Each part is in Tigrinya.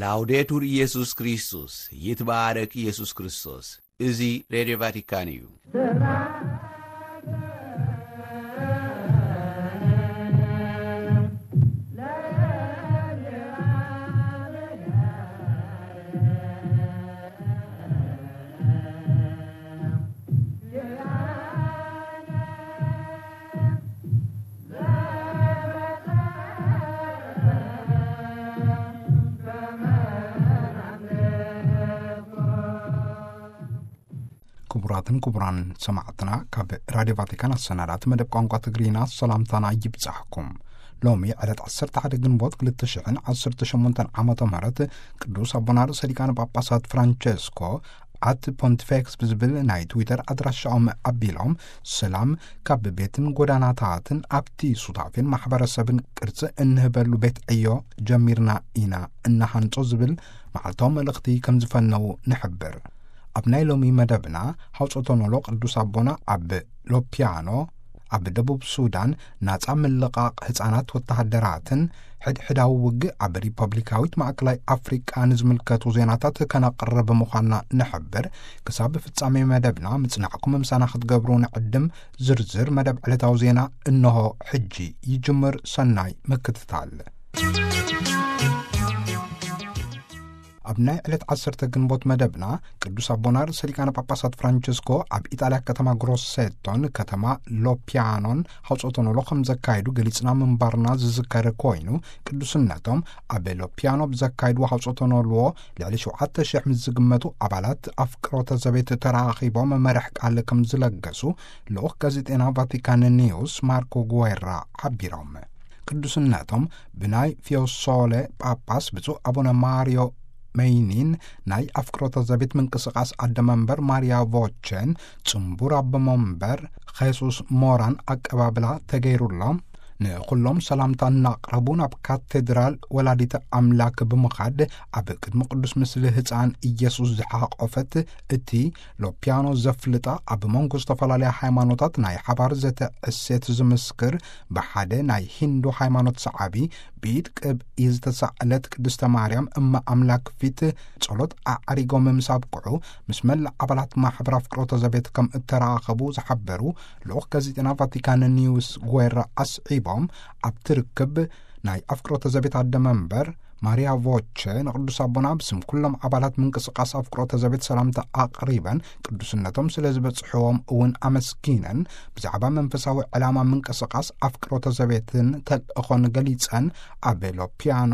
ላውዴቱር ኢየሱስ ክርስቶስ፣ ይትባረክ ኢየሱስ ክርስቶስ። እዚ ሬድዮ ቫቲካን እዩ። ክቡራትን ክቡራን ሰማዕትና፣ ካብ ራድዮ ቫቲካን ኣሰናዳእቲ መደብ ቋንቋ ትግርኛ ሰላምታና ይብጻሕኩም። ሎሚ ዕለት ዓሰርተ ሓደ ግንቦት ክልተ ሽሕን ዓሰርተ ሸሞንተን ዓመተ ምህረት ቅዱስ ኣቦና ርእሰ ሊቃነ ጳጳሳት ፍራንቸስኮ ኣት ፖንቲፌክስ ብዝብል ናይ ትዊተር ኣድራሻኦም ኣቢሎም፣ ሰላም ካብ ቤትን ጎዳናታትን ኣብቲ ሱታፌን ማሕበረሰብን ቅርጺ እንህበሉ ቤት ዕዮ ጀሚርና ኢና እናሃንጾ ዝብል መዓልታዊ መልእኽቲ ከም ዝፈነዉ ንሕብር። ኣብ ናይ ሎሚ መደብና፣ ሃውጾቶኖሎ ቅዱስ ኣቦና ኣብ ሎፒያኖ፣ ኣብ ደቡብ ሱዳን ናጻ ምልቓቕ ህጻናት ወተሃደራትን ሕድሕዳዊ ውግእ ኣብ ሪፐብሊካዊት ማእከላይ ኣፍሪቃ ንዝምልከቱ ዜናታት ከነቕርብ ምዃንና ንሕብር። ክሳብ ፍጻሜ መደብና ምጽናዕኩም ምሳና ክትገብሩ ንዕድም። ዝርዝር መደብ ዕለታዊ ዜና እንሆ ሕጂ ይጅምር። ሰናይ ምክትታል። ኣብ ናይ ዕለት ዓሰርተ ግንቦት መደብና፣ ቅዱስ ኣቦና ርእሰ ሊቃነ ጳጳሳት ፍራንቸስኮ ኣብ ኢጣልያ ከተማ ግሮሴቶን ከተማ ሎፒያኖን ሃውጾቶኖሎ ከም ዘካየዱ ገሊጽና ምንባርና ዝዝከር ኮይኑ፣ ቅዱስነቶም ኣብ ሎፒያኖ ብዘካየድዎ ሃውጾቶኖሎ ልዕሊ ሸውዓተ ሽሕ ምስ ዝግመቱ ኣባላት ኣፍቅሮተ ዘቤት ተራኺቦም መርሕ ቃል ከም ዝለገሱ ልኡኽ ጋዜጤና ቫቲካን ኒውስ ማርኮ ጉዌራ ሓቢሮም። ቅዱስነቶም ብናይ ፊዮሶለ ጳጳስ ብፁዕ ኣቡነ ማርዮ መይኒን ናይ ኣፍቅሮተ ዘቤት ምንቅስቓስ ኣደ መንበር ማርያ ቮቸን ጽንቡር ኣቦ መንበር ኼሱስ ሞራን ኣቀባብላ ተገይሩሎም፣ ንኹሎም ሰላምታ እናቕረቡ ናብ ካቴድራል ወላዲተ ኣምላክ ብምኻድ ኣብ ቅድሚ ቅዱስ ምስሊ ህፃን ኢየሱስ ዝሓቆፈት እቲ ሎፒያኖ ዘፍልጣ ኣብ መንጎ ዝተፈላለያ ሃይማኖታት ናይ ሓባር ዘተ እሴት ዝምስክር ብሓደ ናይ ሂንዱ ሃይማኖት ሰዓቢ ብኢድ ቅብኢ ዝተሳእለት ቅድስተ ማርያም እመ ኣምላክ ፊት ጸሎት ኣዕሪጎም ምስ ኣብቅዑ፣ ምስ መላእ ኣባላት ማሕበር ኣፍቅሮተ ዘቤት ከም እተራኸቡ ዝሓበሩ ልኡኽ ጋዜጠና ቫቲካን ኒውስ ጉዌራ ኣስዒቦም፣ ኣብቲ ርክብ ናይ ኣፍቅሮተ ዘቤት ኣደ መንበር ማርያ ቮቸ ንቅዱስ ኣቦና ብስም ኩሎም ኣባላት ምንቅስቃስ ኣፍቅሮተ ዘቤት ሰላምታ ኣቕሪበን፣ ቅዱስነቶም ስለ ዝበጽሕዎም እውን ኣመስጊነን፣ ብዛዕባ መንፈሳዊ ዕላማ ምንቅስቃስ ኣፍቅሮተ ዘቤትን ተልእኾን ገሊጸን፣ ኣብ ሎፒያኖ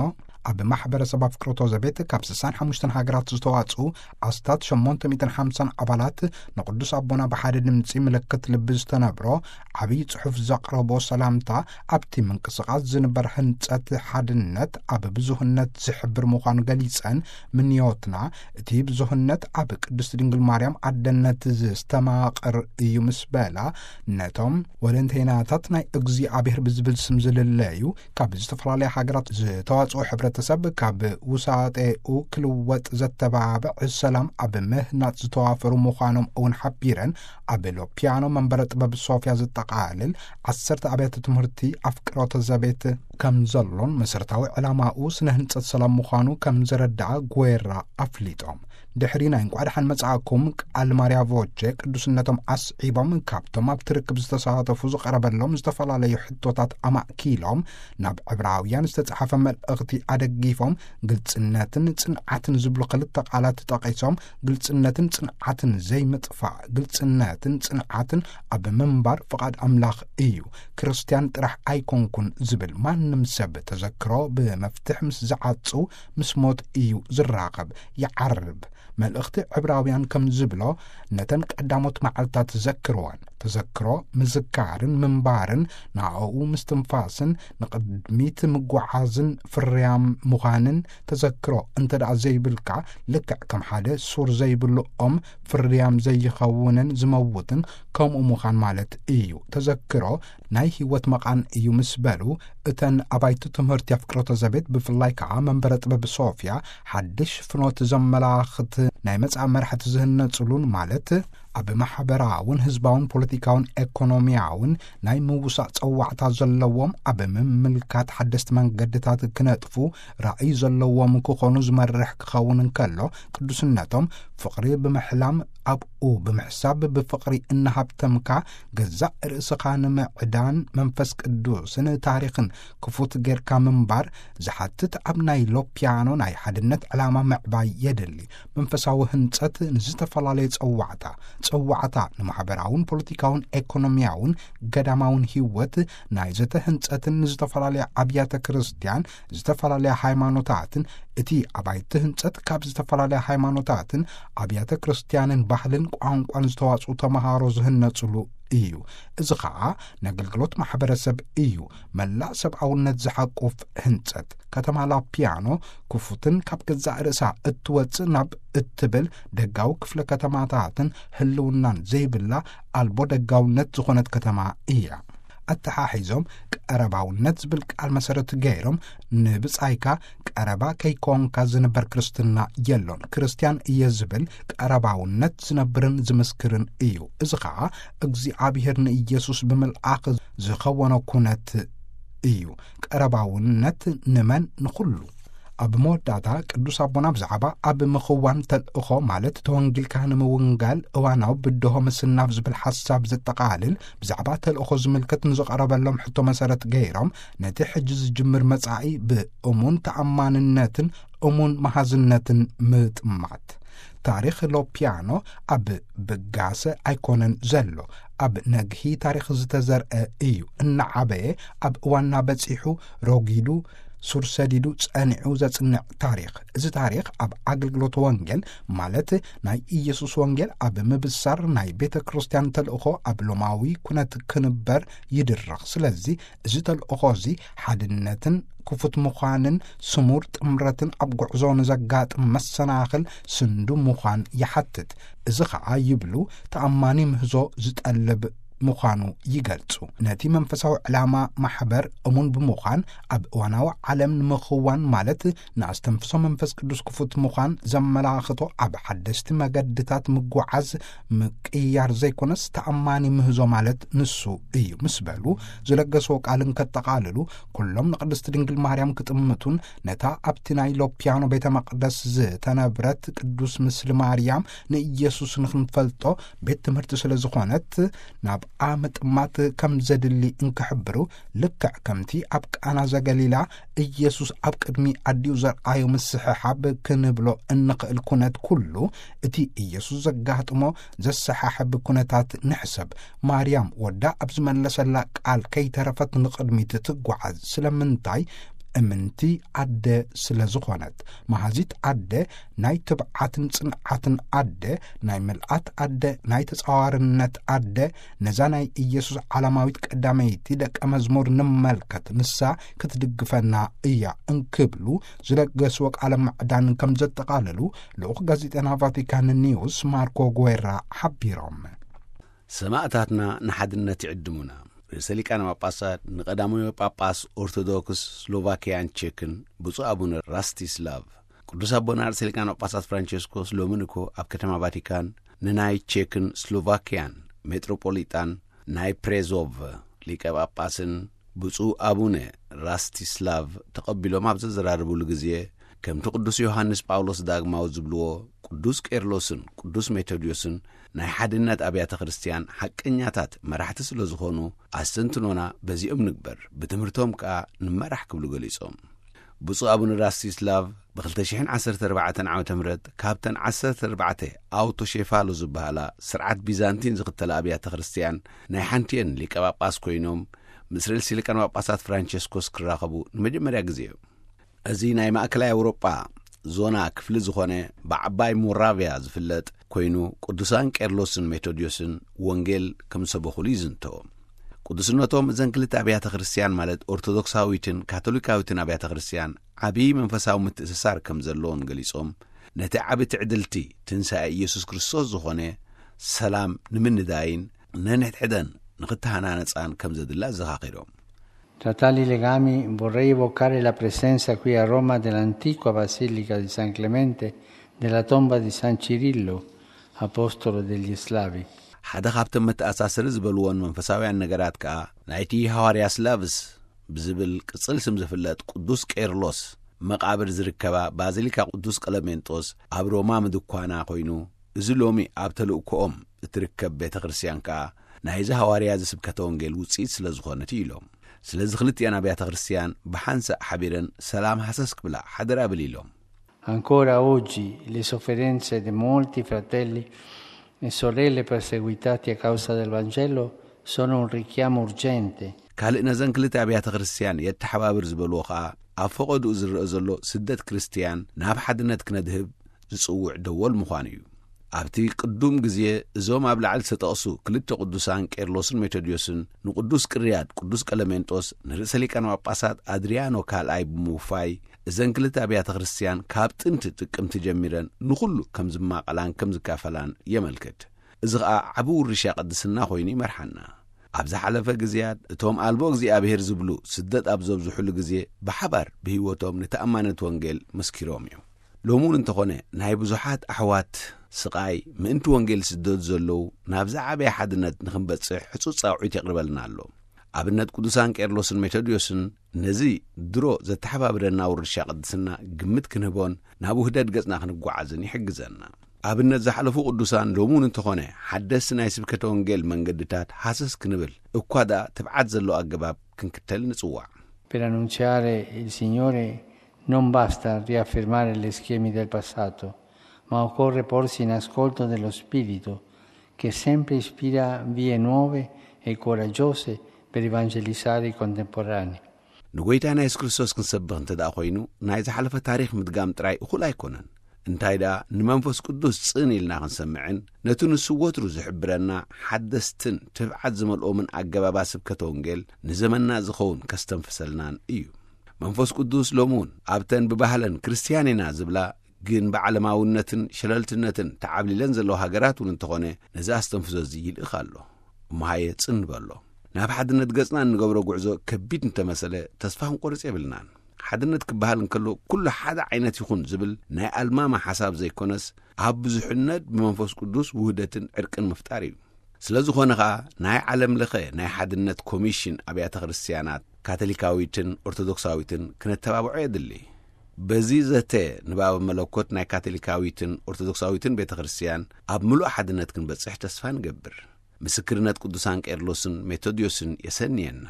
ኣብ ማሕበረሰብ ኣፍቅሮተ ዘቤት ካብ ስሳን ሓሙሽተን ሃገራት ዝተዋጽኡ ኣስታት ሸሞንተ ሚእትን ሓምሳን ኣባላት ንቅዱስ ኣቦና ብሓደ ድምጺ ምልክት ልቢ ዝተነብሮ ዓብዪ ጽሑፍ ዘቕረቦ ሰላምታ፣ ኣብቲ ምንቅስቃስ ዝንበር ህንጸት ሓድነት ኣብ ብዙህነት ዝሕብር ምዃኑ ገሊጸን፣ ምንዮትና እቲ ብዙህነት ኣብ ቅድስት ድንግል ማርያም ኣደነት ዝተማቕር እዩ ምስ በላ፣ ነቶም ወለንተይናታት ናይ እግዚኣብሔር ብዝብል ስም ዝልለዩ ካብ ዝተፈላለያ ሃገራት ዝተዋጽኦ ሕብረተሰብ ካብ ውሳጤኡ ክልወጥ ዘተባብዕ ሰላም ኣብ ምህናጽ ዝተዋፈሩ ምዃኖም እውን ሓቢረን፣ ኣብ ሎፒያኖ መንበረ ጥበብ ሶፊያ ዘጠቓልል ዓሰርተ ኣብያተ ትምህርቲ ኣፍቅሮተ ዘቤት ከም ዘሎን መሰረታዊ ዕላማኡ ስነ ህንጸት ሰላም ምዃኑ ከም ዘረድኣ ጉዌራ ኣፍሊጦም። ድሕሪ ናይ እንቋዕ ደሓን መጻእኩም ቃል ማርያ ቮቼ ቅዱስነቶም ኣስዒቦም፣ ካብቶም ኣብቲ ርክብ ዝተሳተፉ ዝቐረበሎም ዝተፈላለዩ ሕቶታት ኣማእኪሎም፣ ናብ ዕብራውያን ዝተጻሕፈ መልእኽቲ ኣደጊፎም፣ ግልጽነትን ጽንዓትን ዝብሉ ክልተ ቃላት ጠቒሶም፣ ግልጽነትን ጽንዓትን ዘይምጥፋእ፣ ግልጽነትን ጽንዓትን ኣብ ምንባር ፍቓድ ኣምላኽ እዩ። ክርስትያን ጥራሕ ኣይኮንኩን ዝብል ማንም ሰብ ተዘክሮ ብመፍትሕ ምስ ዝዓጹ ምስ ሞት እዩ ዝራኸብ፣ ይዓርብ። መልእኽቲ ዕብራውያን ከም ዝብሎ፣ ነተን ቀዳሞት መዓልታት ዘክርወን። ተዘክሮ ምዝካርን ምንባርን፣ ንኣኡ ምስትንፋስን ንቕድሚት ምጉዓዝን ፍርያም ምዃንን፣ ተዘክሮ እንተ ደኣ ዘይብልካ፣ ልክዕ ከም ሓደ ሱር ዘይብሉ ኦም ፍርያም ዘይኸውንን ዝመውትን ከምኡ ምዃን ማለት እዩ። ተዘክሮ ናይ ህይወት መቓን እዩ ምስ በሉ፣ እተን ኣባይቲ ትምህርቲ ኣፍቅሮተ ዘቤት፣ ብፍላይ ከኣ መንበረ ጥበብ ሶፍያ፣ ሓድሽ ፍኖት ዘመላኽት ናይ መጻኢ መራሕቲ ዝህነጽሉን፣ ማለት ኣብ ማሕበራውን ህዝባውን ፖለቲካውን ኤኮኖሚያውን ናይ ምውሳእ ጸዋዕታ ዘለዎም፣ ኣብ ምምልካት ሓደስቲ መንገድታት ክነጥፉ ራእይ ዘለዎም ክኾኑ ዝመርሕ ክኸውን እንከሎ፣ ቅዱስነቶም ፍቕሪ ብምሕላም፣ ኣብኡ ብምሕሳብ፣ ብፍቕሪ እናሃብተምካ ገዛእ ርእስኻ ንምዕዳን መንፈስ ቅዱስን ታሪኽን ክፉት ጌርካ ምንባር ዝሓትት፣ ኣብ ናይ ሎፒያኖ ናይ ሓድነት ዕላማ ምዕባይ የድሊ። መንፈሳዊ ህንጸት ንዝተፈላለየ ጸዋዕታ፣ ጸዋዕታ ንማሕበራውን ፖለቲካውን ኤኮኖሚያውን ገዳማውን ህይወት ናይ ዘተ ህንጸትን ንዝተፈላለየ ኣብያተ ክርስቲያን፣ ዝተፈላለያ ሃይማኖታትን፣ እቲ ኣባይቲ ህንጸት ካብ ዝተፈላለያ ሃይማኖታትን ኣብያተ ክርስቲያንን ባህልን ቋንቋን ዝተዋጽኡ ተመሃሮ ዝህነጽሉ እዩ። እዚ ኸኣ ነገልግሎት ማሕበረሰብ እዩ። መላእ ሰብኣውነት ዝሓቁፍ ህንጸት። ከተማ ላፒያኖ ክፉትን ካብ ገዛእ ርእሳ እትወጽእ ናብ እትብል ደጋዊ ክፍለ ከተማታትን ህልውናን ዘይብላ ኣልቦ ደጋውነት ዝኾነት ከተማ እያ። ኣተሓሒዞም ቀረባውነት ዝብል ቃል መሰረት ገይሮም፣ ንብጻይካ ቀረባ ከይኮንካ ዝንበር ክርስትና የሎን። ክርስትያን እየ ዝብል ቀረባውነት ዝነብርን ዝምስክርን እዩ። እዚ ኸኣ እግዚኣብሔር ንኢየሱስ ብምልኣኽ ዝኸወኖ ኩነት እዩ። ቀረባውነት ንመን? ንኹሉ። ኣብ መወዳእታ ቅዱስ ኣቦና ብዛዕባ ኣብ ምኽዋን ተልእኾ፣ ማለት ተወንጊልካ ንምውንጋል እዋናዊ ብድሆ ምስናፍ ዝብል ሓሳብ ዘጠቓልል፣ ብዛዕባ ተልእኾ ዝምልከት ንዝቐረበሎም ሕቶ መሰረት ገይሮም፣ ነቲ ሕጂ ዝጅምር መጻኢ ብእሙን ተኣማንነትን እሙን መሃዝነትን ምጥማት። ታሪኽ ሎፒያኖ ኣብ ብጋሰ ኣይኮነን ዘሎ፣ ኣብ ነግሂ ታሪኽ ዝተዘርአ እዩ። እናዓበየ ኣብ እዋንና በጺሑ፣ ረጒዱ፣ ሱር ሰዲዱ ጸኒዑ ዘጽንዕ ታሪኽ። እዚ ታሪኽ ኣብ ኣገልግሎት ወንጌል፣ ማለት ናይ ኢየሱስ ወንጌል ኣብ ምብሳር ናይ ቤተ ክርስቲያን ተልእኾ ኣብ ሎማዊ ኩነት ክንበር ይድረኽ። ስለዚ እዚ ተልእኾ እዚ ሓድነትን ክፉት ምዃንን ስሙር ጥምረትን ኣብ ጉዕዞ ንዘጋጥም መሰናኽል ስንዱ ምዃን ይሓትት። እዚ ኸኣ ይብሉ ተኣማኒ ምህዞ ዝጠልብ ምዃኑ ይገልጹ። ነቲ መንፈሳዊ ዕላማ ማሕበር እሙን ብምዃን ኣብ እዋናዊ ዓለም ንምኽዋን፣ ማለት ንኣስተንፍሶ መንፈስ ቅዱስ ክፉት ምዃን ዘመላኽቶ ኣብ ሓደስቲ መገድታት ምጉዓዝ ምቅያር ዘይኮነስ ተኣማኒ ምህዞ ማለት ንሱ እዩ ምስ በሉ ዝለገስዎ ቃል እንከጠቓልሉ፣ ኩሎም ንቅድስቲ ድንግል ማርያም ክጥምቱን ነታ ኣብቲ ናይ ሎፒያኖ ቤተ መቅደስ ዝተነብረት ቅዱስ ምስሊ ማርያም ንኢየሱስ ንክንፈልጦ ቤት ትምህርቲ ስለ ዝኾነት ናብኣ ምጥማት ከም ዘድሊ እንክሕብሩ፣ ልክዕ ከምቲ ኣብ ቃና ዘገሊላ ኢየሱስ ኣብ ቅድሚ ኣዲኡ ዘርኣዮ ምስሕሓብ ክንብሎ እንኽእል ኩነት ኩሉ፣ እቲ ኢየሱስ ዘጋጥሞ ዘሰሓሕብ ኩነታት ንሕሰብ። ማርያም ወዳ ኣብ ዝመለሰላ ቃል ከይተረፈት ንቕድሚት ትጓዓዝ። ስለምንታይ? እምንቲ ኣደ ስለ ዝኾነት፣ መሃዚት ኣደ፣ ናይ ትብዓትን ጽንዓትን ኣደ፣ ናይ ምልኣት ኣደ፣ ናይ ተጻዋርነት ኣደ፣ ነዛ ናይ ኢየሱስ ዓለማዊት ቀዳመይቲ ደቀ መዝሙር ንመልከት፣ ንሳ ክትድግፈና እያ እንክብሉ ዝለገስዎ ቃለ ምዕዳን ከም ዘጠቓለሉ ልኡኽ ጋዜጠና ቫቲካን ኒውስ ማርኮ ጉዌራ ሓቢሮም። ሰማእታትና ንሓድነት ይዕድሙና። ርእሰ ሊቃነ ጳጳሳት ንቀዳማዊ ጳጳስ ኦርቶዶክስ ስሎቫኪያን ቼክን ብፁዕ ኣቡነ ራስቲስላቭ። ቅዱስ ኣቦና ርእሰ ሊቃነ ጳጳሳት ፍራንቸስኮስ ሎሚ ንግሆ ኣብ ከተማ ቫቲካን ንናይ ቼክን ስሎቫኪያን ሜትሮፖሊጣን ናይ ፕሬዞቭ ሊቀ ጳጳስን ብፁዕ ኣቡነ ራስቲስላቭ ተቐቢሎም ኣብ ዘዘራረቡሉ ግዜ፣ ከምቲ ቅዱስ ዮሃንስ ጳውሎስ ዳግማዊ ዝብልዎ፣ ቅዱስ ቄርሎስን ቅዱስ ሜቶድዮስን ናይ ሓድነት ኣብያተ ክርስቲያን ሓቀኛታት መራሕቲ ስለ ዝኾኑ፣ ኣስተንትኖና በዚኦም ንግበር፣ ብትምህርቶም ከኣ ንመራሕ ክብሉ ገሊጾም። ብፁዕ ኣቡነ ራስቲስላቭ ብ204 ዓመተ ምህረት ካብተን ዓሰርተ ኣርባዕተ ኣውቶሼፋሎ ዝበሃላ ስርዓት ቢዛንቲን ዝኽተላ ኣብያተ ክርስቲያን ናይ ሓንቲየን ሊቀ ጳጳስ ኮይኖም፣ ምስ ርእሲ ሊቃነ ጳጳሳት ፍራንቸስኮስ ክራኸቡ ንመጀመርያ ግዜ እዩ። እዚ ናይ ማእከላይ ኣውሮጳ ዞና ክፍሊ ዝኾነ ብዓባይ ሞራቪያ ዝፍለጥ ኮይኑ፣ ቅዱሳን ቄርሎስን ሜቶድዮስን ወንጌል ከም ዝሰበኹሉ ይዝንቶ። ቅዱስነቶም እዘን ክልተ ኣብያተ ክርስቲያን፣ ማለት ኦርቶዶክሳዊትን ካቶሊካዊትን ኣብያተ ክርስቲያን፣ ዓብዪ መንፈሳዊ ምትእስሳር ከም ዘለዎን ገሊጾም፣ ነቲ ዓቢ ትዕድልቲ ትንሳኤ ኢየሱስ ክርስቶስ ዝኾነ ሰላም ንምንዳይን ነንሕድሕደን ንኽተሃናነጻን ከም ዘድሊ ኣዘኻኺሮም። Tra tali legami vorrei evocare la presenza qui a Roma dell'antica Basilica di San Clemente, della tomba di San Cirillo, apostolo degli Slavi. ሓደ ካብቶም መተኣሳሰሪ ዝበልዎን መንፈሳውያን ነገራት ከኣ፣ ናይቲ ሃዋርያ ስላቭስ ብዝብል ቅጽል ስም ዝፍለጥ ቅዱስ ቄርሎስ መቓብር ዝርከባ ባዚሊካ ቅዱስ ቀለሜንጦስ ኣብ ሮማ ምድኳና ኮይኑ፣ እዚ ሎሚ ኣብ ተልእኮኦም እትርከብ ቤተ ክርስቲያን ከኣ ናይዚ ሃዋርያ እዚ ስብከተ ወንጌል ውጽኢት ስለ ዝኾነት እዩ ኢሎም። ስለዚ ክልቲኣን ኣብያተ ክርስቲያን ብሓንሳእ ሓቢረን ሰላም ሃሰስ ክብላ ሓደራ ብል ኢሎም። Ancora oggi le sofferenze di molti fratelli e sorelle perseguitati a causa del Vangelo sono un richiamo urgente. ካልእ ነዘን ክልተ ኣብያተ ክርስቲያን የተሓባብር ዝበልዎ ኸኣ፣ ኣብ ፈቐድኡ ዝረአ ዘሎ ስደት ክርስቲያን ናብ ሓድነት ክነድህብ ዝጽውዕ ደወል ምዃኑ እዩ። ኣብቲ ቅዱም ግዜ እዞም ኣብ ላዕሊ ዝተጠቕሱ ክልተ ቅዱሳን ቄርሎስን ሜቶድዮስን ንቅዱስ ቅርያድ ቅዱስ ቀለሜንጦስ ንርእሰ ሊቃነ ጳጳሳት ኣድሪያኖ ካልኣይ ብምውፋይ፣ እዘን ክልተ ኣብያተ ክርስቲያን ካብ ጥንቲ ጥቅምቲ ጀሚረን ንኹሉ ከም ዝማቐላን ከም ዝካፈላን የመልክት። እዚ ኸኣ ዓቢ ውርሻ ቅድስና ኮይኑ ይመርሓና። ኣብ ዝሓለፈ ግዜያት እቶም ኣልቦ እግዚኣብሔር ዝብሉ ስደት ኣብ ዘብዝሑሉ ግዜ ብሓባር ብህይወቶም ንተኣማነት ወንጌል መስኪሮም እዮም። ሎሚ እውን እንተኾነ ናይ ብዙሓት ኣሕዋት ስቓይ ምእንቲ ወንጌል ዝስደዱ ዘለዉ ናብ ዝዓበየ ሓድነት ንኽንበጽሕ ሕጹጽ ጻውዒት የቕርበልና ኣሎ። ኣብነት ቅዱሳን ቄርሎስን ሜቶድዮስን ነዚ ድሮ ዘተሓባብረና ውርሻ ቅድስና ግምት ክንህቦን ናብ ውህደት ገጽና ክንጓዓዝን ይሕግዘና። ኣብነት ዝሓለፉ ቅዱሳን ሎሚ እውን እንተኾነ ሓደስቲ ናይ ስብከተ ወንጌል መንገድታት ሃሰስ ክንብል እኳ ደኣ ትብዓት ዘሎ ኣገባብ ክንክተል ንጽዋዕ። Per annunziare il Signore non basta riaffermare gli schemi del passato, ma occorre porsi in ascolto dello Spirito, che sempre ispira vie nuove e coraggiose per evangelizzare i contemporanei. ንጎይታና የሱስ ክርስቶስ ክንሰብኽ እንተ ደኣ ኮይኑ፣ ናይ ዝሓለፈ ታሪኽ ምድጋም ጥራይ እኹል ኣይኮነን። እንታይ ደኣ፣ ንመንፈስ ቅዱስ ጽን ኢልና ክንሰምዕን፣ ነቲ ንሱ ወትሩ ዝሕብረና ሓደስትን ትብዓት ዝመልኦምን ኣገባባት ስብከተ ወንጌል ንዘመንና ዝኸውን ከስተንፍሰልናን እዩ። መንፈስ ቅዱስ ሎሚ እውን ኣብተን ብባህለን ክርስትያን ኢና ዝብላ፣ ግን ብዓለማውነትን ሸለልትነትን ተዓብሊለን ዘለዋ ሃገራት እውን እንተኾነ፣ ነዚ ኣስተንፍሶ እዚ ይልእኽ ኣሎ። እሞ ሃየ ጽን ንበሎ። ናብ ሓድነት ገጽና እንገብሮ ጉዕዞ ከቢድ እንተመሰለ፣ ተስፋ ክንቆርጽ የብልናን። ሓድነት ክበሃል እንከሎ፣ ኩሉ ሓደ ዓይነት ይኹን ዝብል ናይ ኣልማማ ሓሳብ ዘይኮነስ፣ ኣብ ብዙሕነት ብመንፈስ ቅዱስ ውህደትን ዕርቅን ምፍጣር እዩ። ስለ ዝኾነ ኸኣ፣ ናይ ዓለም ለኸ ናይ ሓድነት ኮሚሽን ኣብያተ ክርስትያናት ካቶሊካዊትን ኦርቶዶክሳዊትን ክነተባብዖ የድሊ። በዚ ዘተ ንባበ መለኮት ናይ ካቶሊካዊትን ኦርቶዶክሳዊትን ቤተ ክርስትያን ኣብ ምሉእ ሓድነት ክንበጽሕ ተስፋ ንገብር። ምስክርነት ቅዱሳን ቄርሎስን ሜቶድዮስን የሰንየና።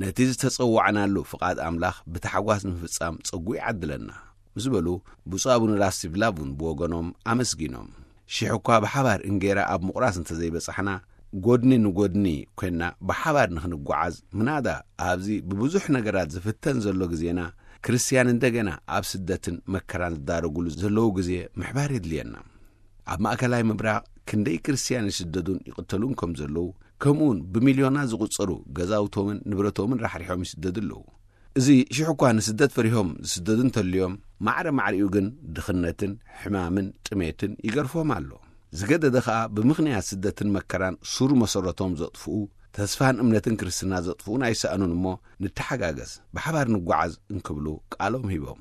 ነቲ ዝተጸዋዕናሉ ፍቓድ ኣምላኽ ብታሕጓስ ንምፍጻም ጸጉ ይዓድለና፣ ምስ በሉ፣ ብፁዕ ኣቡነ ራስቲቭላቭ እውን ብወገኖም ኣመስጊኖም። ሽሕ እኳ ብሓባር እንጌራ ኣብ ምቑራስ እንተዘይበጻሕና፣ ጎድኒ ንጎድኒ ኮይንና ብሓባር ንኽንጓዓዝ፣ ምናዳ ኣብዚ ብብዙሕ ነገራት ዝፍተን ዘሎ ግዜና፣ ክርስትያን እንደገና ኣብ ስደትን መከራን ዝዳረጉሉ ዘለዉ ግዜ ምሕባር የድልየና። ኣብ ማእከላይ ምብራቕ ክንደይ ክርስትያን ይስደዱን ይቕተሉን ከም ዘለዉ፣ ከምኡውን ብሚልዮናት ዝቑጸሩ ገዛውቶምን ንብረቶምን ራሕሪሖም ይስደዱ ኣለዉ። እዚ ሽሕ እኳ ንስደት ፈሪሆም ዝስደዱ እንተልዮም፣ ማዕረ ማዕሪኡ ግን ድኽነትን ሕማምን ጥሜትን ይገርፎም ኣሎ። ዝገደደ ኸኣ ብምኽንያት ስደትን መከራን ሱር መሰረቶም ዘጥፍኡ፣ ተስፋን እምነትን ክርስትና ዘጥፍኡን ኣይሰኣኑን እሞ፣ ንተሓጋገዝ፣ ብሓባር ንጓዓዝ እንክብሉ ቃሎም ሂቦም።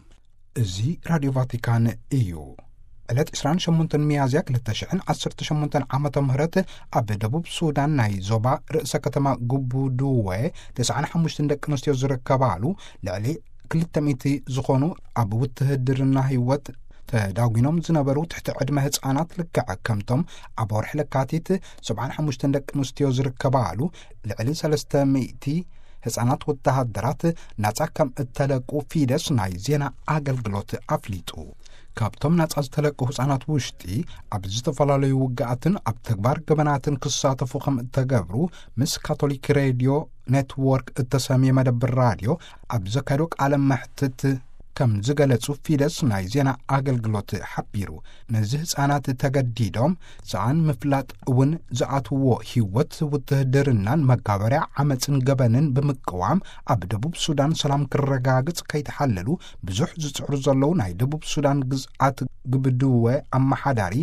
እዚ ራድዮ ቫቲካን እዩ። ዕለት ዕስራን ሸሞንተን ሚያዝያ ክልተ ሽሕን ዓሰርተ ሸሞንተን ዓመተ ምህረት ኣብ ደቡብ ሱዳን ናይ ዞባ ርእሰ ከተማ ጉቡዱወ ተስዓን ሓሙሽተን ደቂ ኣንስትዮ ዝርከባሉ ልዕሊ ክልተ ሚእቲ ዝኾኑ ኣብ ውትህድርና ህይወት ተዳጒኖም ዝነበሩ ትሕቲ ዕድመ ህፃናት ልክዕ ከምቶም ኣብ ወርሒ ለካቲት ሰብዓን ሓሙሽተን ደቂ ኣንስትዮ ዝርከባሉ ልዕሊ ሰለስተ ሚእቲ ህፃናት ወተሃደራት ናፃ ከም እተለቁ ፊደስ ናይ ዜና ኣገልግሎት ኣፍሊጡ። ካብቶም ናፃ ዝተለቁ ህፃናት ውሽጢ ኣብ ዝተፈላለዩ ውግኣትን ኣብ ተግባር ገበናትን ክሳተፉ ከም እተገብሩ ምስ ካቶሊክ ሬድዮ ኔትዎርክ እተሰምየ መደብር ራድዮ ኣብ ዘካየዶ ቃለ መሕትት ከም ዝገለጹ ፊደስ ናይ ዜና ኣገልግሎት ሓቢሩ። ነዚ ህፃናት ተገዲዶም ሰኣን ምፍላጥ እውን ዝኣትዎ ህይወት ውትህድርናን መጋበርያ ዓመፅን ገበንን ብምቅዋም ኣብ ደቡብ ሱዳን ሰላም ክረጋግፅ ከይተሓለሉ ብዙሕ ዝፅዕሩ ዘለዉ ናይ ደቡብ ሱዳን ግዝኣት ግብድወ ኣመሓዳሪ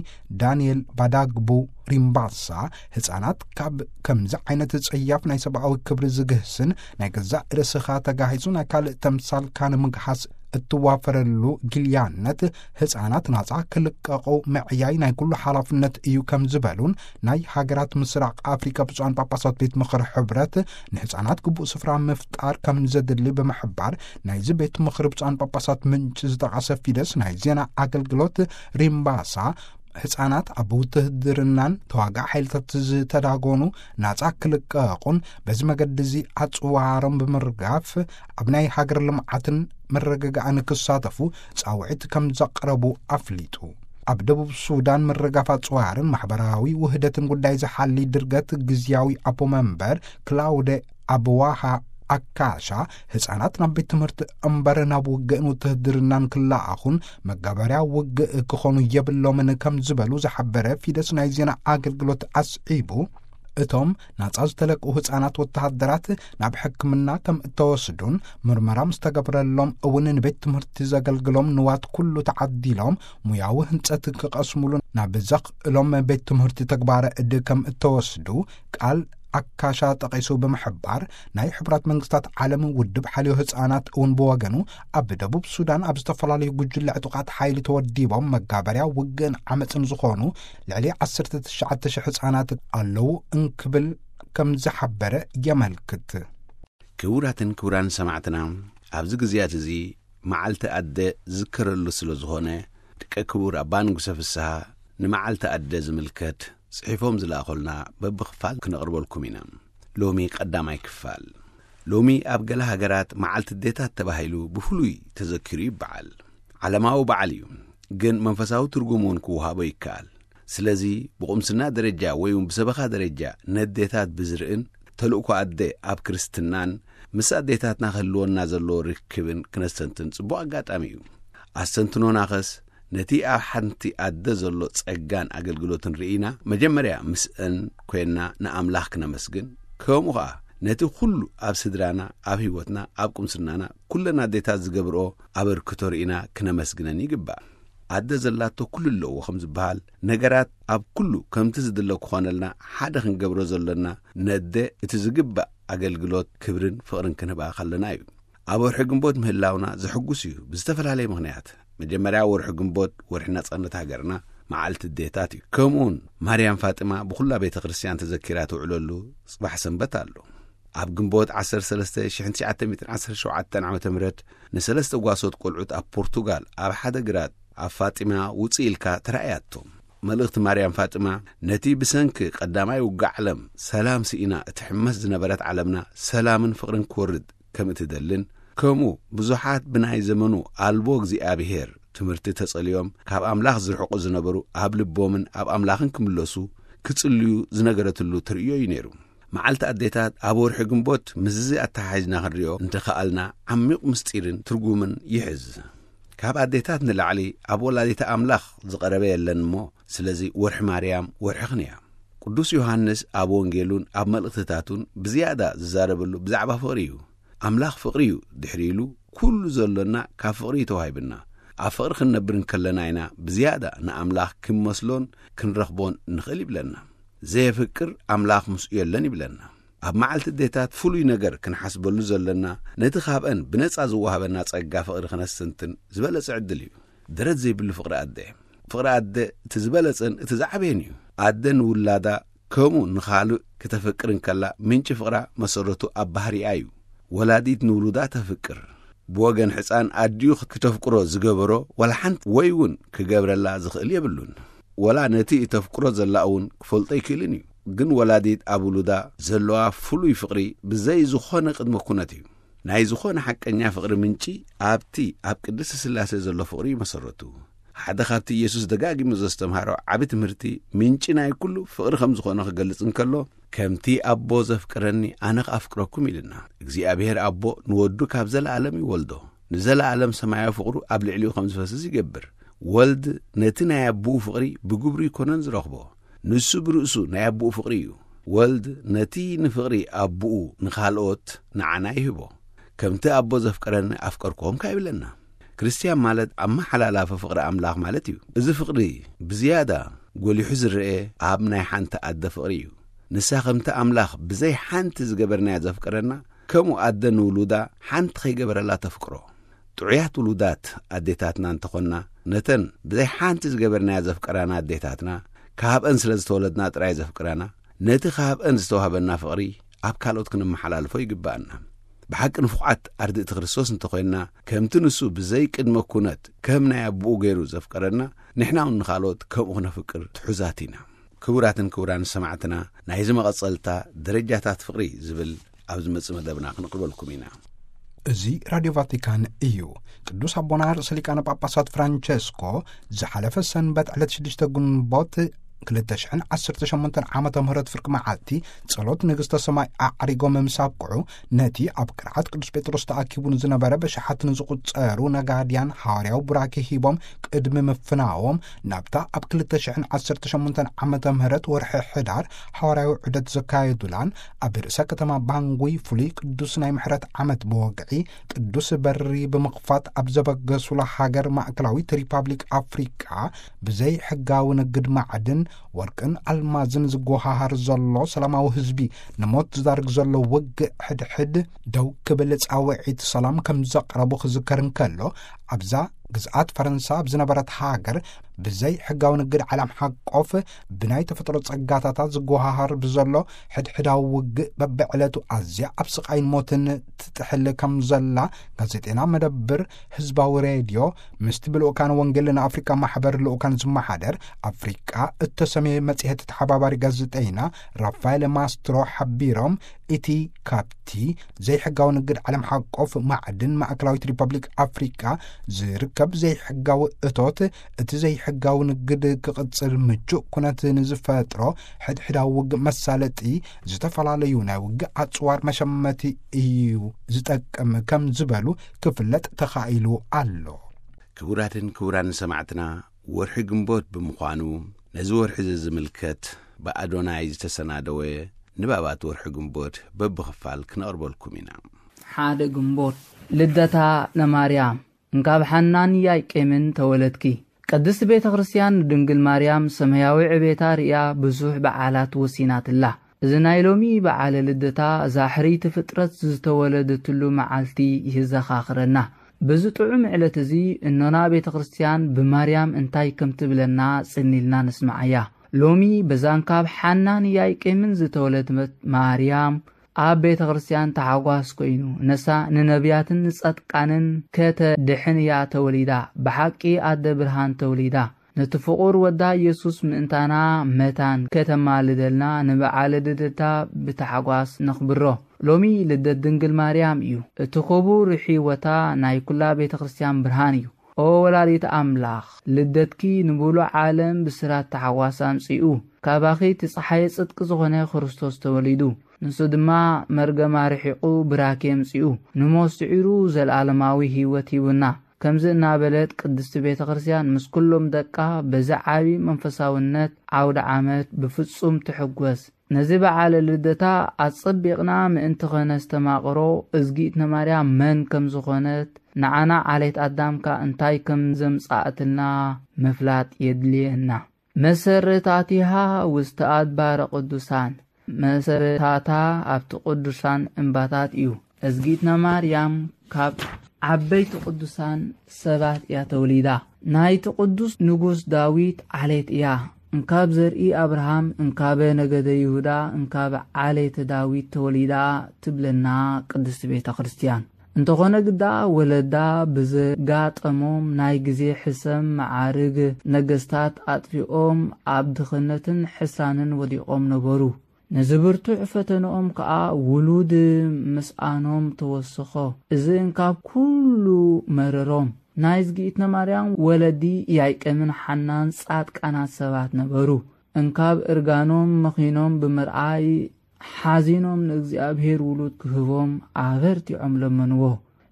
ዳንኤል ባዳግቡ ሪምባሳ ህፃናት ካብ ከምዚ ዓይነት ጸያፍ ናይ ሰብኣዊ ክብሪ ዝግህስን ናይ ገዛእ ርእስኻ ተጋሂሱ ናይ ካልእ ተምሳልካ ንምግሃስ እትዋፈረሉ ጊልያነት፣ ህፃናት ናፃ ክልቀቑ ምዕያይ ናይ ኩሉ ሓላፍነት እዩ ከም ዝበሉን፣ ናይ ሃገራት ምስራቕ ኣፍሪካ ብፁዓን ጳጳሳት ቤት ምኽሪ ሕብረት ንህፃናት ግቡእ ስፍራ ምፍጣር ከም ዘድሊ ብምሕባር፣ ናይዚ ቤት ምኽሪ ብፁዓን ጳጳሳት ምንጭ ዝጠቐሰ ፊደስ ናይ ዜና ኣገልግሎት ሪምባሳ፣ ህፃናት ኣብ ውትህድርናን ተዋጋእ ሓይልታት ዝተዳጎኑ ናፃ ክልቀቑን፣ በዚ መገዲ እዚ ኣፅዋሮም ብምርጋፍ ኣብ ናይ ሃገር ልምዓትን ምርግጋእን ክሳተፉ ፃውዒት ከም ዘቕረቡ ኣፍሊጡ። ኣብ ደቡብ ሱዳን ምርጋፍ ኣፅዋርን ማሕበራዊ ውህደትን ጉዳይ ዝሓሊ ድርገት ግዝያዊ ኣቦ መንበር ክላውደ ኣብዋሃ ኣካሻ፣ ህፃናት ናብ ቤት ትምህርቲ እምበር ናብ ውግእን ውትህድርናን ክለኣኹን መጋበርያ ውግእ ክኾኑ የብሎምን ከም ዝበሉ ዝሓበረ ፊደስ ናይ ዜና ኣገልግሎት ኣስዒቡ፣ እቶም ናጻ ዝተለቅኡ ህፃናት ወተሃደራት ናብ ሕክምና ከም እተወስዱን ምርመራ ምስ ተገብረሎም እውን ንቤት ትምህርቲ ዘገልግሎም ንዋት ኩሉ ተዓዲሎም ሙያዊ ህንፀት ክቐስሙሉ ናብ ዘኽእሎም ቤት ትምህርቲ ተግባረ እድ ከም እተወስዱ ቃል ኣካሻ ጠቒሱ ብምሕባር፣ ናይ ሕቡራት መንግስታት ዓለም ውድብ ሓልዮ ህፃናት እውን ብወገኑ ኣብ ደቡብ ሱዳን ኣብ ዝተፈላለዩ ጉጅለ ዕጡቓት ሓይሊ ተወዲቦም መጋበርያ ውግእን ዓመፅን ዝኾኑ ልዕሊ ዓሰርተ ትሽዓተ ሽሕ ህፃናት ኣለዉ እንክብል ከም ዝሓበረ የመልክት። ክቡራትን ክቡራን ሰማዕትና፣ ኣብዚ ግዜያት እዚ መዓልቲ ኣደ ዝዝከረሉ ስለ ዝኾነ፣ ደቂ ክቡር ኣባ ንጉሰ ፍስሃ ንመዓልቲ ኣደ ዝምልከት ጽሒፎም ዝለኣኹልና በብኽፋል ክነቕርበልኩም ኢና። ሎሚ ቀዳማይ ክፋል። ሎሚ ኣብ ገለ ሃገራት መዓልቲ ኣዴታት ተባሂሉ ብፍሉይ ተዘኪሩ ይበዓል። ዓለማዊ በዓል እዩ፣ ግን መንፈሳዊ ትርጉም እውን ክወሃቦ ይከኣል። ስለዚ ብቁምስና ደረጃ ወይ እውን ብሰበኻ ደረጃ ነዴታት ብዝርእን ተልእኮ ኣደ ኣብ ክርስትናን ምስ ኣዴታትና ክህልወና ዘለዎ ርክብን ክነስተንትን ጽቡቕ ኣጋጣሚ እዩ። ኣስተንትኖናኸስ ነቲ ኣብ ሓንቲ ኣደ ዘሎ ጸጋን ኣገልግሎትን ርኢና መጀመርያ ምስአን ኮይንና ንኣምላኽ ክነመስግን፣ ከምኡ ኸኣ ነቲ ኩሉ ኣብ ስድራና፣ ኣብ ህይወትና፣ ኣብ ቁምስናና ኩለን ኣዴታት ዝገብርኦ ኣበርክቶ ርኢና ክነመስግነን ይግባእ። ኣደ ዘላቶ ኩሉ ኣለዎ ከም ዝበሃል፣ ነገራት ኣብ ኩሉ ከምቲ ዝድለ ክኾነልና ሓደ ክንገብሮ ዘሎና፣ ነደ እቲ ዝግባእ ኣገልግሎት ክብርን ፍቕርን ክንህባ ከለና እዩ። ኣብ ወርሒ ግንቦት ምህላውና ዘሐጉስ እዩ። ብዝተፈላለየ ምኽንያት፣ መጀመርያ ወርሒ ግንቦት ወርሒ ናጻነት ሃገርና፣ መዓልቲ ኣዴታት እዩ። ከምኡውን ማርያም ፋጥማ ብኹላ ቤተ ክርስቲያን ተዘኪራ ትውዕለሉ ጽባሕ ሰንበት ኣሎ። ኣብ ግንቦት ዓሰርተ ሰለስተ ሽሕን ትሽዓተ ሚእትን ዓሰርተ ሸውዓተን ዓመተ ምህረት ንሰለስተ ጓሶት ቆልዑት ኣብ ፖርቱጋል ኣብ ሓደ ግራት ኣብ ፋጢማ ውጽእ ኢልካ ተራእያቶም። መልእኽቲ ማርያም ፋጥማ ነቲ ብሰንኪ ቀዳማይ ውግእ ዓለም ሰላም ስኢና እትሕመስ ዝነበረት ዓለምና ሰላምን ፍቕርን ክወርድ ከም እትደልን፣ ከምኡ ብዙሓት ብናይ ዘመኑ ኣልቦ እግዚኣብሔር ትምህርቲ ተጸልዮም ካብ ኣምላኽ ዝርሕቁ ዝነበሩ ኣብ ልቦምን ኣብ ኣምላኽን ክምለሱ ክጽልዩ ዝነገረትሉ ተርእዮ እዩ ነይሩ። መዓልቲ ኣዴታት ኣብ ወርሒ ግንቦት ምስዚ ኣተሓሒዝና ክንሪኦ እንተኸኣልና ዓሚቕ ምስጢርን ትርጉምን ይሕዝ። ካብ ኣዴታት ንላዕሊ ኣብ ወላዲተ ኣምላኽ ዝቐረበ የለን እሞ፣ ስለዚ ወርሒ ማርያም ወርሕኽን እያ። ቅዱስ ዮሃንስ ኣብ ወንጌሉን ኣብ መልእኽትታቱን ብዝያዳ ዝዛረበሉ ብዛዕባ ፍቕሪ እዩ። ኣምላኽ ፍቕሪ እዩ ድሕሪ ኢሉ፣ ኩሉ ዘሎና ካብ ፍቕሪ እዩ ተዋሂብና። ኣብ ፍቕሪ ክንነብር እንከለና ኢና ብዝያዳ ንኣምላኽ ክንመስሎን ክንረኽቦን ንኽእል ይብለና። ዘየፍቅር ኣምላኽ ምስኡ የለን ይብለና። ኣብ መዓልቲ ኣዴታት ፍሉይ ነገር ክንሓስበሉ ዘለና፣ ነቲ ካብአን ብነጻ ዝወሃበና ጸጋ ፍቕሪ ክነስተንትን ዝበለጸ ዕድል እዩ። ደረት ዘይብሉ ፍቕሪ ኣደ። ፍቕሪ ኣደ እቲ ዝበለጸን እቲ ዝዓበየን እዩ። ኣደ ንውላዳ ከምኡ ንኻልእ ክተፍቅር እንከላ፣ ምንጪ ፍቕራ መሰረቱ ኣብ ባህሪኣ እዩ። ወላዲት ንውሉዳ ተፍቅር። ብወገን ሕፃን ኣዲኡ ክተፍቅሮ ዝገበሮ ዋላ ሓንቲ ወይ እውን ክገብረላ ዝኽእል የብሉን። ወላ ነቲ እተፍቅሮ ዘላ እውን ክፈልጦ ኣይክእልን እዩ። ግን ወላዲት ኣብ ውሉዳ ዘለዋ ፍሉይ ፍቕሪ ብዘይ ዝኾነ ቅድመ ኩነት እዩ። ናይ ዝኾነ ሓቀኛ ፍቕሪ ምንጪ ኣብቲ ኣብ ቅድስቲ ስላሴ ዘሎ ፍቕሪ እዩ መሰረቱ። ሓደ ካብቲ ኢየሱስ ደጋጊሙ ዘስተምሃሮ ዓቢ ትምህርቲ፣ ምንጪ ናይ ኩሉ ፍቕሪ ከም ዝኾነ ክገልጽ እንከሎ፣ "ከምቲ ኣቦ ዘፍቅረኒ ኣነ ክኣፍቅረኩም" ኢልና። እግዚኣብሔር ኣቦ ንወዱ ካብ ዘለኣለም ይወልዶ። ንዘለኣለም ሰማያዊ ፍቕሩ ኣብ ልዕሊኡ ከም ዝፈስስ ይገብር። ወልድ ነቲ ናይ ኣቦኡ ፍቕሪ ብግብሩ ይኮነን ዝረኽቦ። ንሱ ብርእሱ ናይ ኣቦኡ ፍቕሪ እዩ። ወልድ ነቲ ንፍቕሪ ኣቦኡ ንኻልኦት ንዓና ይህቦ። "ከምቲ ኣቦ ዘፍቀረኒ ኣፍቀርኩኹም" ከኣ ይብለና። ክርስትያን ማለት ኣመሓላላፊ ፍቕሪ ኣምላኽ ማለት እዩ። እዚ ፍቕሪ ብዝያዳ ጎሊሑ ዝረኤ ኣብ ናይ ሓንቲ ኣደ ፍቕሪ እዩ። ንሳ ከምቲ ኣምላኽ ብዘይ ሓንቲ ዝገበርናያ ዘፍቀረና፣ ከምኡ ኣደ ንውሉዳ ሓንቲ ከይገበረላ ተፍቅሮ። ጥዑያት ውሉዳት ኣዴታትና እንተኾንና፣ ነተን ብዘይ ሓንቲ ዝገበርናያ ዘፍቀራና ኣዴታትና፣ ካብአን ስለ ዝተወለድና ጥራይ ዘፍቅራና፣ ነቲ ካብአን ዝተዋህበና ፍቕሪ ኣብ ካልኦት ክንመሓላልፎ ይግብኣና። ብሓቂ ንፉቓት ኣርድእቲ ክርስቶስ እንተኾይንና፣ ከምቲ ንሱ ብዘይ ቅድመ ኩነት ከም ናይ ኣቦኡ ገይሩ ዘፍቀረና፣ ንሕና እውን ንኻልኦት ከምኡ ክነፍቅር ትሑዛት ኢና። ክቡራትን ክቡራን ሰማዕትና፣ ናይዚ መቐጸልታ ደረጃታት ፍቕሪ ዝብል ኣብ ዝመጽእ መደብና ክንቕርበልኩም ኢና። እዚ ራድዮ ቫቲካን እዩ። ቅዱስ ኣቦና ርእሰ ሊቃነ ጳጳሳት ፍራንቸስኮ ዝሓለፈ ሰንበት ዕለት ሽዱሽተ ግንቦት ክልተ ሽሕን ዓሰርተ ሸሞንተን ዓመተ ምህረት ፍርቂ መዓልቲ ጸሎት ንግስተ ሰማይ ኣዕሪጎም ምስ ኣብቅዑ፣ ነቲ ኣብ ቅርዓት ቅዱስ ጴጥሮስ ተኣኪቡ ንዝነበረ በሽሓት ንዝቑጸሩ ነጋድያን ሓዋርያዊ ቡራኬ ሂቦም ቅድሚ ምፍናዎም፣ ናብታ ኣብ ክልተ ሽሕን ዓሰርተ ሸሞንተን ዓመተ ምህረት ወርሒ ሕዳር ሓዋርያዊ ዑደት ዘካየዱላን ኣብ ርእሰ ከተማ ባንጉይ ፍሉይ ቅዱስ ናይ ምሕረት ዓመት ብወግዒ ቅዱስ በሪ ብምኽፋት ኣብ ዘበገሱላ ሃገር ማእከላዊት ሪፓብሊክ ኣፍሪቃ፣ ብዘይ ሕጋዊ ንግድ ማዕድን፣ ወርቅን ኣልማዝን ዝጎሃሃር ዘሎ ሰላማዊ ህዝቢ ንሞት ዝዳርግ ዘሎ ውግእ ሕድሕድ ደው ክብል ጻውዒት ሰላም ከም ዘቕረቡ ክዝከር እንከሎ፣ ኣብዛ ግዝኣት ፈረንሳ ኣብ ዝነበረት ሃገር ብዘይ ሕጋዊ ንግድ ዓለም ሓቆፍ ብናይ ተፈጥሮ ጸጋታታት ዝጎሃሃር ብዘሎ ሕድሕዳዊ ውግእ በብዕለቱ ኣዝያ ኣብ ስቓይን ሞትን ትጥሕል ከም ዘላ ጋዜጤና መደብር ህዝባዊ ሬድዮ ምስቲ ብልኡካን ወንጌል ንኣፍሪቃ ማሕበር ልኡካን ዝመሓደር ኣፍሪቃ እተሰምየ መጽሔት ተሓባባሪ ጋዜጠይና ራፋኤል ማስትሮ ሓቢሮም፣ እቲ ካብቲ ዘይሕጋዊ ንግድ ዓለም ሓቆፍ ማዕድን ማእከላዊት ሪፐብሊክ ኣፍሪቃ ዝርከብ ዘይሕጋዊ እቶት፣ እቲ ዘይሕጋዊ ንግድ ክቕጽል ምቹእ ኩነት ንዝፈጥሮ ሕድሕዳዊ ውግእ መሳለጢ፣ ዝተፈላለዩ ናይ ውግእ ኣጽዋር መሸመቲ እዩ ዝጠቅም ከም ዝበሉ ክፍለጥ ተኻኢሉ ኣሎ። ክቡራትን ክቡራን ሰማዕትና፣ ወርሒ ግንቦት ብምዃኑ፣ ነዚ ወርሒ እዚ ዝምልከት ብኣዶናይ ዝተሰናደወ ንባባት ወርሒ ግንቦት በብኽፋል ክነቕርበልኩም ኢና። ሓደ ግንቦት፣ ልደታ ለማርያም። እንካብ ሓናን ያቄምን ተወለድኪ። ቅድስት ቤተ ክርስቲያን ንድንግል ማርያም ሰማያዊ ዕቤታ ርእያ ብዙሕ በዓላት ወሲናትላ። እዚ ናይ ሎሚ በዓለ ልደታ እዛ ሕርይቲ ፍጥረት ዝተወለደትሉ መዓልቲ ይዘኻኽረና። በዚ ጥዑም ዕለት እዚ እኖና ቤተ ክርስቲያን ብማርያም እንታይ ከም ትብለና ጽን ኢልና ንስምዓያ። ሎሚ በዛ እንካብ ሓናን ያቄምን ዝተወለደት ማርያም ኣብ ቤተ ክርስቲያን ተሓጓስ ኮይኑ፣ ነሳ ንነቢያትን ንጻድቃንን ከተድሕን እያ ተወሊዳ። ብሓቂ ኣደ ብርሃን ተወሊዳ። ነቲ ፍቑር ወዳ ኢየሱስ ምእንታና መታን ከተማልደልና ንበዓለ ልደታ ብታሕጓስ ነኽብሮ። ሎሚ ልደት ድንግል ማርያም እዩ። እቲ ክቡር ሕይወታ ናይ ኩላ ቤተ ክርስቲያን ብርሃን እዩ። ኦ ወላዲት ኣምላኽ፣ ልደትኪ ንብሉዕ ዓለም ብስራት ታሕጓስ ኣምጺኡ። ካባኺ እቲ ጸሓየ ጽድቂ ዝኾነ ክርስቶስ ተወሊዱ። ንሱ ድማ መርገማ ርሒቑ ብራኬ ኣምጺኡ። ንሞት ስዒሩ ዘለኣለማዊ ህይወት ሂቡና። ከምዚ እናበለት ቅድስቲ ቤተ ክርስቲያን ምስ ኩሎም ደቃ በዚ ዓቢ መንፈሳውነት ዓውደ ዓመት ብፍጹም ትሕጎስ። ነዚ በዓለ ልደታ ኣጸቢቕና ምእንቲ ኸነስተማቕሮ፣ እዝጊትነ ማርያም መን ከም ዝኾነት፣ ንዓና ዓሌት ኣዳም ከኣ እንታይ ከም ዘምጽኣትልና ምፍላጥ የድልየና። መሰረታቲሃ ውስተ ኣድባረ ቅዱሳን፣ መሰረታታ ኣብቲ ቅዱሳን እምባታት እዩ። እዝጊትና ማርያም ካብ ዓበይቲ ቅዱሳን ሰባት እያ ተወሊዳ። ናይቲ ቅዱስ ንጉስ ዳዊት ዓሌት እያ። እንካብ ዘርኢ ኣብርሃም፣ እንካበ ነገደ ይሁዳ፣ እንካብ ዓሌተ ዳዊት ተወሊዳ ትብለና ቅድስቲ ቤተ ክርስቲያን። እንተኾነ ግዳ ወለዳ ብዘጋጠሞም ናይ ግዜ ሕሰም መዓርግ ነገስታት ኣጥፊኦም ኣብ ድኽነትን ሕሳንን ወዲቖም ነበሩ። ነዚ ብርቱዕ ፈተንኦም ከኣ ውሉድ ምስኣኖም ተወስኾ። እዚ እንካብ ኩሉ መረሮም። ናይ እዝጊእትነ ማርያም ወለዲ ያይቀምን ሓናን ጻድቃናት ሰባት ነበሩ። እንካብ እርጋኖም መኺኖም ብምርኣይ ሓዚኖም ንእግዚኣብሔር ውሉድ ክህቦም ኣበርቲዖም ለመንዎ።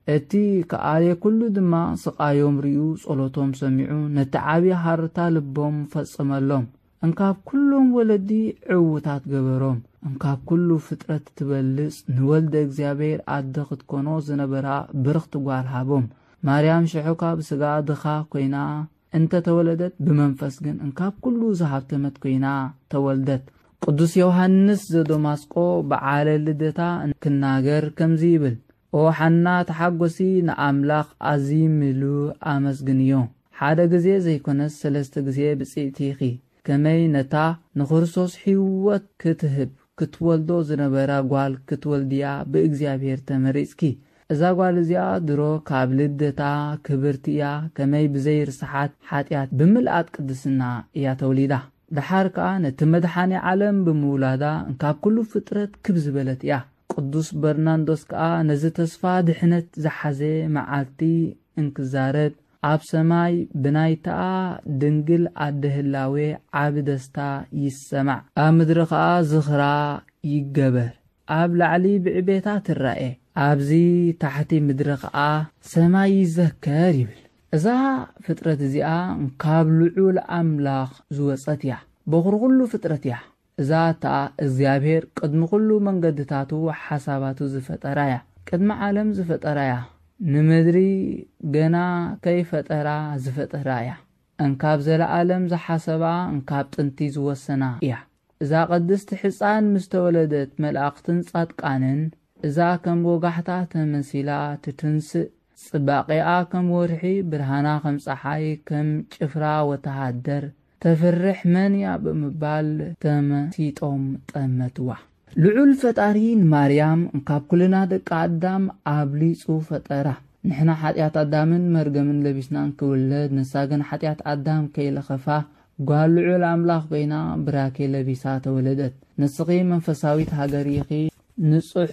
እቲ ከኣልየ ኩሉ ድማ ስቓዮም ርእዩ ጸሎቶም ሰሚዑ ነቲ ዓቢ ሃርታ ልቦም ፈጸመሎም። እንካብ ኩሎም ወለዲ ዕዉታት ገበሮም። እንካብ ኩሉ ፍጥረት ትበልጽ ንወልደ እግዚኣብሔር ኣደ ክትኮኖ ዝነበራ ብርኽቲ ጓል ሃቦም። ማርያም ሽሕኳ ብስጋ ድኻ ኮይና እንተ ተወለደት ብመንፈስ ግን እንካብ ኩሉ ዝሃብተመት ኮይና ተወልደት። ቅዱስ ዮሃንስ ዘደማስቆ በዓለ ልደታ ክናገር ከምዚ ይብል፣ ኦ ሓና ተሓጎሲ፣ ንኣምላኽ ኣዝዩ ምሉእ ኣመስግንዮ። ሓደ ግዜ ዘይኮነስ ሰለስተ ግዜ ብጽእቲ ኢኺ። ከመይ ነታ ንክርስቶስ ሕይወት ክትህብ ክትወልዶ ዝነበራ ጓል ክትወልድያ ብእግዚኣብሔር ተመሪጽኪ። እዛ ጓል እዚኣ ድሮ ካብ ልደታ ክብርቲ እያ፣ ከመይ ብዘይርስሓት ሓጢኣት ብምልኣት ቅድስና እያ ተወሊዳ። ደሓር ከኣ ነቲ መድሓኒ ዓለም ብምውላዳ እንካብ ኩሉ ፍጥረት ክብ ዝበለት እያ። ቅዱስ በርናንዶስ ከኣ ነዚ ተስፋ ድሕነት ዝሓዘ መዓልቲ እንክዛረብ፣ ኣብ ሰማይ ብናይታ ድንግል ኣደ ህላዌ ዓቢ ደስታ ይሰማዕ። ኣብ ምድሪ ከኣ ዝኽራ ይገበር። ኣብ ላዕሊ ብዕቤታ ትራኤ፣ ኣብዚ ታሕቲ ምድሪ ከኣ ሰማይ ይዘከር ይብል። እዛ ፍጥረት እዚኣ ካብ ልዑል ኣምላኽ ዝወጸት እያ። በኹሪ ኩሉ ፍጥረት እያ። እዛ እታ እግዚኣብሔር ቅድሚ ኩሉ መንገድታቱ ሓሳባቱ ዝፈጠራ እያ። ቅድሚ ዓለም ዝፈጠራ እያ። ንምድሪ ገና ከይፈጠራ ዝፈጠራ እያ። እንካብ ዘለዓለም ዝሓሰባ፣ እንካብ ጥንቲ ዝወሰና እያ። እዛ ቅድስቲ ሕፃን ምስ ተወለደት፣ መላእኽትን ጻድቃንን እዛ ከም ወጋሕታ ተመሲላ ትትንስእ፣ ጽባቄኣ ከም ወርሒ፣ ብርሃና ከም ጸሓይ፣ ከም ጭፍራ ወተሃደር ተፍርሕ መን እያ ብምባል ተመሲጦም ጠመትዋ። ልዑል ፈጣሪ ንማርያም ካብ ኩልና ደቂ ኣዳም ኣብሊጹ ፈጠራ። ንሕና ሓጢኣት ኣዳምን መርገምን ለቢስና እንክውለድ፣ ንሳ ግን ሓጢኣት ኣዳም ከይለኸፋ ጓል ልዑል ኣምላኽ ኮይና ብራኬ ለቢሳ ተወለደት። ንስኺ መንፈሳዊት ሃገር ኢኺ፣ ንጹሕ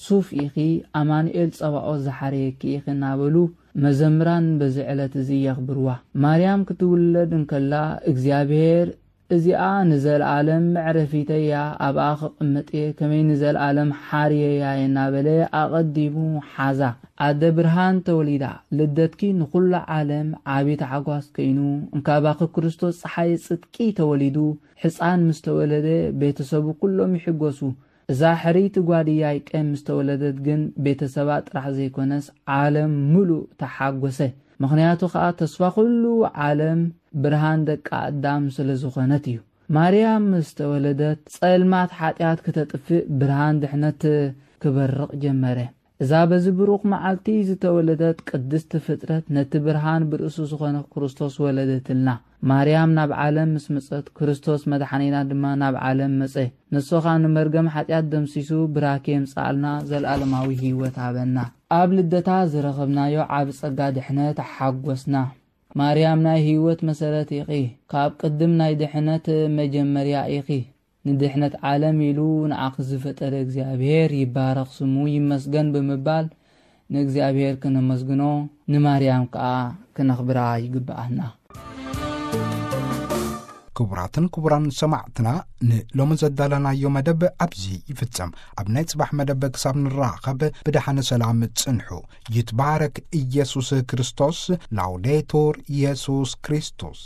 ሱፍ ኢኺ፣ ኣማኑኤል ጸባኦት ዝሓረየኪ ኢኺ እናበሉ መዘምራን በዚ ዕለት እዚ የኽብርዋ። ማርያም ክትውለድ እንከላ እግዚኣብሔር፣ "እዚኣ ንዘለኣለም መዕረፊተይ እያ፣ ኣብኣ ክቕመጥ እየ፣ ከመይ ንዘለኣለም ሓርየያ እየ" እናበለ ኣቐዲሙ ሓዛ። ኣደ ብርሃን ተወሊዳ፣ ልደትኪ ንኹሉ ዓለም ዓቢ ታሕጓስ ኮይኑ፣ እንካባኺ ክርስቶስ ጸሓይ ጽድቂ ተወሊዱ፣ ሕፃን ምስ ተወለደ ቤተሰቡ ኩሎም ይሕጎሱ። እዛ ሕርይቲ ጓል ኢያቄም ምስ ተወለደት ግን ቤተሰባ ጥራሕ ዘይኮነስ ዓለም ምሉእ ተሓጎሰ። ምኽንያቱ ኸኣ ተስፋ ኩሉ ዓለም ብርሃን ደቂ ኣዳም ስለ ዝኾነት እዩ። ማርያም ምስ ተወለደት ጸልማት ሓጢኣት ክተጥፍእ ብርሃን ድሕነት ክበርቕ ጀመረ። እዛ በዚ ብሩኽ መዓልቲ ዝተወለደት ቅድስቲ ፍጥረት ነቲ ብርሃን ብርእሱ ዝኾነ ክርስቶስ ወለደትልና። ማርያም ናብ ዓለም ምስ መጸት ክርስቶስ መድሓኒና ድማ ናብ ዓለም መጸ። ንሱ ኸኣ ንመርገም ሓጢኣት ደምሲሱ ብራኬ የምጽኣልና፣ ዘለኣለማዊ ህይወት ሃበና። ኣብ ልደታ ዝረኸብናዮ ዓቢ ጸጋ ድሕነት ሓጎስና። ማርያም ናይ ህይወት መሰረት ኢኺ፣ ካብ ቅድም ናይ ድሕነት መጀመርያ ኢኺ። ንድሕነት ዓለም ኢሉ ንዓኺ ዝፈጠረ እግዚኣብሔር ይባረኽ ስሙ ይመስገን ብምባል ንእግዚኣብሔር ክነመስግኖ ንማርያም ከኣ ክነኽብራ ይግብኣና። ክቡራትን ክቡራን ሰማዕትና፣ ንሎሚ ዘዳለናዮ መደብ ኣብዚ ይፍጸም። ኣብ ናይ ጽባሕ መደብ ክሳብ ንራኸብ ብደሓነ ሰላም ጽንሑ። ይትባረክ ኢየሱስ ክርስቶስ። ላውዴቱር ኢየሱስ ክርስቶስ።